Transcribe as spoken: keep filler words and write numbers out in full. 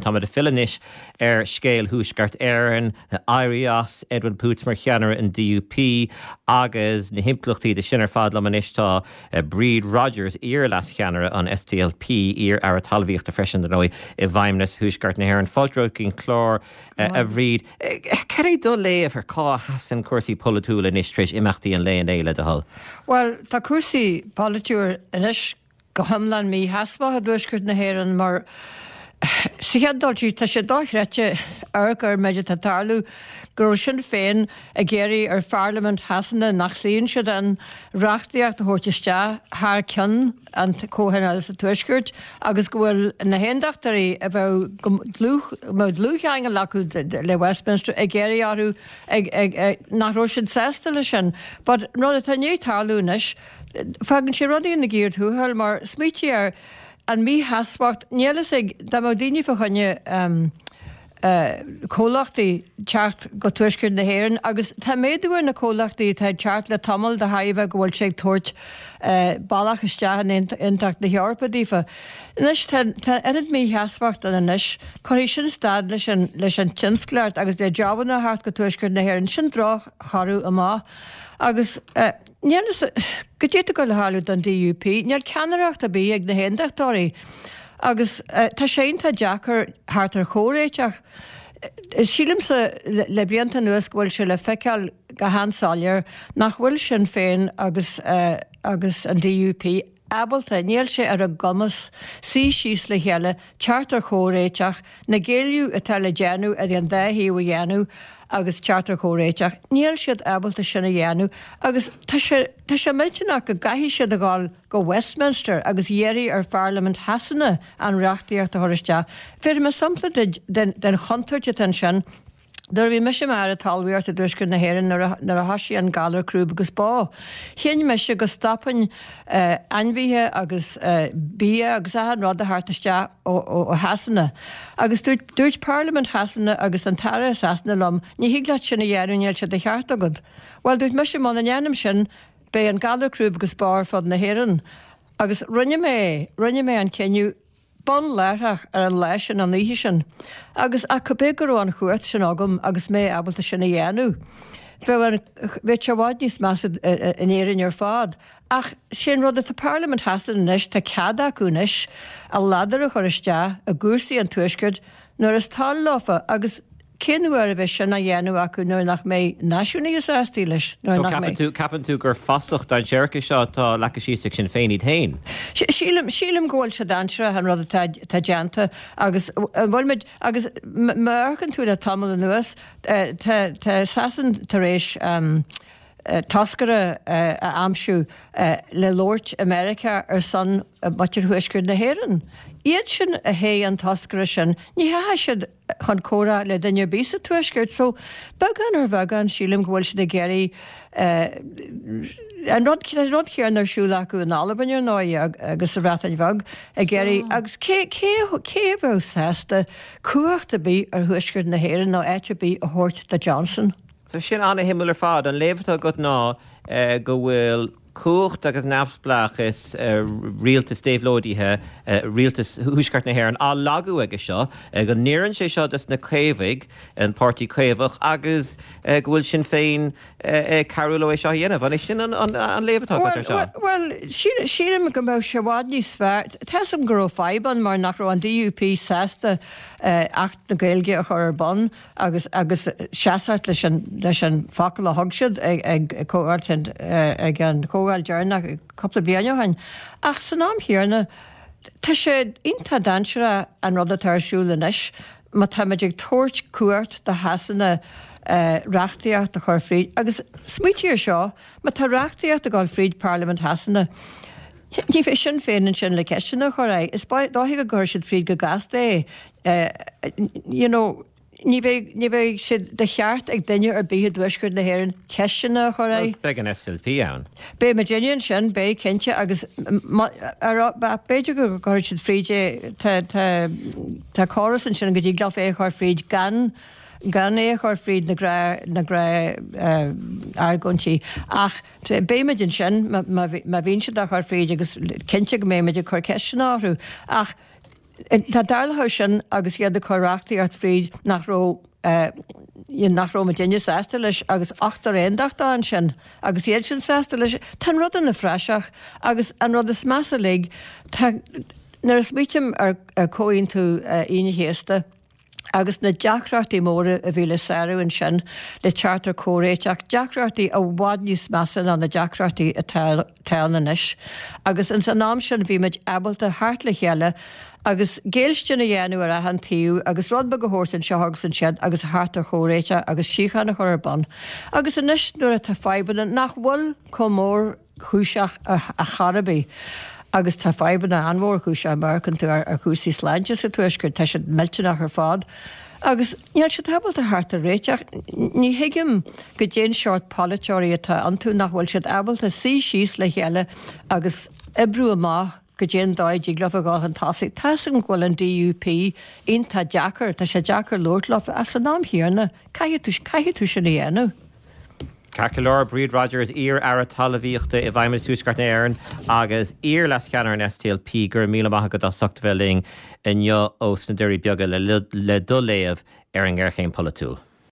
Táimid ag filleadh anois ar scéal Thuaisceart Éireann, éirí as Edwin Poots mar cheannaire an D U P agus na himpleachtaí de sin ar fad. Liom anois tá Bríd Rodgers, iar-leascheannaire an S D L P, iar-aire talmhaíochta freisin dar ndóigh i bhFeidhmeannas Thuaisceart na hÉireann. Fáilte go dtí an clár, a Bhríd. Cad é do léamh ar cá sheasann cúrsaí polaitiúla anois tar éis imeachtaí an lae inné, le do thoil? Well, tá cúrsaí polaitiúla anois go hiomlán mísheasmhach i dTuaisceart na hÉireann, mar sa chéad dul síos tá sé dochreidte ar gur méid atá tarlú go raibh Sinn Féin ag iarraidh ar Pharlaimint Shasana, nach suíonn siad ann, reachtaíocht a thabhairt isteach thar ceann an comhthionól sa Tuaisceart agus go bhfuil na hAontachtóirí a bheith dlúthcheangal acu le Westminster ag iarraidh orthu nach raibh siad sásta leis sin. But rud atá ní tarlú anois, fágann sé rudaí ina gcíor thuathail, mar smaointigh ar an mísheasmhacht. Níl is ag dá mbeadh daoine fá choinne um, uh, comhlachtaí teacht go Tuaisceart na hÉireann, agus tá méadú ar na comhlachtaí atá teacht le tamall de tairbhe go bhfuil sé ag tabhairt uh, bealach isteach in Aontas na hEorpa daofa. Anois tá oiread mísheasmhacht ann anois, cuirfidh sin stad leis an leis an tionsclaíocht agus le jabanna theacht go Tuaisceart na hÉireann. Sin drochthoradh amach agus uh, Níl go dtí go le tarlú don D U P, níl ceannaireacht ar bith ag na hAontachtóirí. Agus uh, tá sé tá deacair theacht ar chomhréiteach. Sílimse le, le blianta anuas go bhfuil sé le feiceáil go han-soiléir nach bhfuil Sinn Féin agus, uh, agus an D U P ábalta, níl sé ar a gcumas suí síos le chéile, teacht ar chomhréiteach, na géilleadh atá le déanamh ar an dá thaobh a dhéanamh agus teacht ar chomhréiteach. Níl siad ábalta sin a dhéanamh agus tá sé tá sé millteanach go gcaithfidh siad a ghabháil go Westminster agus iarraidh ar Pharlaimint Shasana an reachtaíocht a chur isteach. B'fhéidir mar sampla den, den chontúirt atá ansin. Nuair bhí mise mar talmhaíocht i dTuaisceart na hÉireann, nuair a thosaigh an galar crúb agus bó. Chinn mise go stopfainn uh, ainmhithe agus uh, bia agus achan rud a theacht isteach ó, ó Shasana. Agus dúirt, dúirt Parlaimint Shasana agus an tAire Sasana liom, "Ní thig leat sin a dhéanamh, níl sé de cheart agat." Well, dúirt mise, muna ndéanaim sin, beidh an galar crúb agus bó ar fud na hÉireann. Agus rinne mé rinne mé an cinneadh bunláithreach ar an lá sin, an oíche sin. Agus ach cibé go raibh an chumhacht sin agam agus mé ábalta sin a dhéanamh, bheadh sé i bhfad níos measa in Éirinn ar fad. Ach sin rud atá Parlaimint Shasana anois, tá cead acu anois a ladar a chur isteach i gcúrsaí an Tuaiscirt nuair is toil leofa, agus cén uair a bheidh sin á dhéanamh acu nuair nach mbeidh náisiúnaithe sásta leis? So ceapann tú ceapann tú gur fasach dainséarach seo atá leagtha síos ag Sinn Féin iad féin? Sílim sílim go bhfuil sé dainséarach an rud atá déanta agus bhfuil agus mar tú le tamall anuas, tá Sasana tar éis um, toscaire a aimsiú le labhairt i Meiriceá ar son mhuintir Thuaisceart na hÉireann. Iad sin a thogh an toscaire sin, ní theachaigh siad chun comhrá le duine ar bith sa Tuaisceart, so beagán ar bheagán sílim go bhfuil siad ag iarraidh an rud rud céanna ar siúl acu in Albain ar ndóigh agus sa Bhreatain Bheag ag iarraidh, agus cé cé cé a bheadh sásta cumhacht ar bith ar Thuaisceart na hÉireann nó áit ar bith a thabhairt do Johnson? So sin an-shuimiúil ar fad. An léamh atá agat ná go bhfuil cumhacht agus neamhspleáchas rialtas déabhlóidithe, rialtas Thuaisceart na hÉireann, á lagú aige seo, go n-oireann sé seo dos na Caomhaigh, an Páirtí Caomhach, agus go bhfuil Sinn Féin cabhrú leo é seo a dhéanamh. An é sin an léamh atá agat ar seo? Well, sílim go mbeadh sé i bhfad níos fearr. Tuigim go raibh fadhb ann mar nach raibh an D U P sásta Acht na Gaeilge a chur ar bun agus agus seasamh leis an leis an focal a thug siad ag ag comhdháil ag an chomhdháil deireanach cúpla bliain ó shin. Ach san am chéanna, tá sé iontach dainséarach an rud atá ar siúl anois má táimid ag tabhairt cumhacht do Shasana uh, reachtaíocht a chur fríd. Agus smaointigh ar seo, má tá reachtaíocht ag dul fríd Parlaimint Shasana, ní bheidh Sinn Féin ansin le ceisteanna a chur air. Is dóigh go gcuirfidh siad fríd go gasta é. Uh, you know, ní bheidh ní bheidh sé de cheart ag duine ar bith i dTuaisceart na hÉireann ceisteanna a chur air. Beidh an S D L P ann. Beidh muidinne ansin, beidh cinnte, agus b'fhéidir go gcuirfidh siad fríd é. Tá córas ansin go dtig leo é a chur fríd gan gan é a chur fríd na gra na gra uh, argóintí, ach beimid ansin má bhíonn siad á chur fríd agus cinnte go mbeimid ag cur ceisteanna orthu, ach Tá darlá sin agus iad ag cur reachtaíocht fríd nach raibh nach raibh muidinne sásta leis agus ochtar aontachtach ansin agus iad sin sásta leis Tá an rud ina phraiseach agus an rud is measa uilig nuair a smaoiním ar ar Chomhaontú Aoine an Chéasta agus na deacrachtaí móra a bhí le sárú ansin le teacht ar chomhréiteach, deacrachtaí i bhfad níos measa ná na deacrachtaí atá ann anois. Agus ins an am sin bhí muid ábalta theacht le chéile agus géillstin a dhéanamh ar achan taobh agus rud beag a thabhairt anseo agus ansiúd agus a theacht ar chomhréiteach agus síocháin a chur ar bun. Agus anois nuair atá fadhbanna nach bhfuil chomh mórchúiseach ar chor ar bith, agus tá fadhbanna an-mhórchúiseach má amharcann tú ar chúrsaí sláinte sa tuaisceart, tá siad millteanach ar fad. Agus níl siad ábalta theacht ar réiteach. Ní thuigim goidé an seort polaiteoirí atá iontu nach bhfuil siad ábalta suí síos le chéile agus oibriú amach goidé an dóigh a dtig leo a dhul chun tosaigh. Tá a fhios agam go bhfuil an DUP iontach deacair, tá sé deacair labhairt leo ach san am chéanna caithfidh tú, caithfidh tú sin a dhéanamh. Ceart go leor, Bríd Rodgers, iar-aire talmhaíochta i bhFeidhmeannas Tuaisceart na hÉireann agus iar-leascheannaire an SDLP, go raibh míle maith agat as ucht a bheith linn inniu ó sna Doirí Beaga le, le do léamh ar an ngéarchéim pholaitiúil.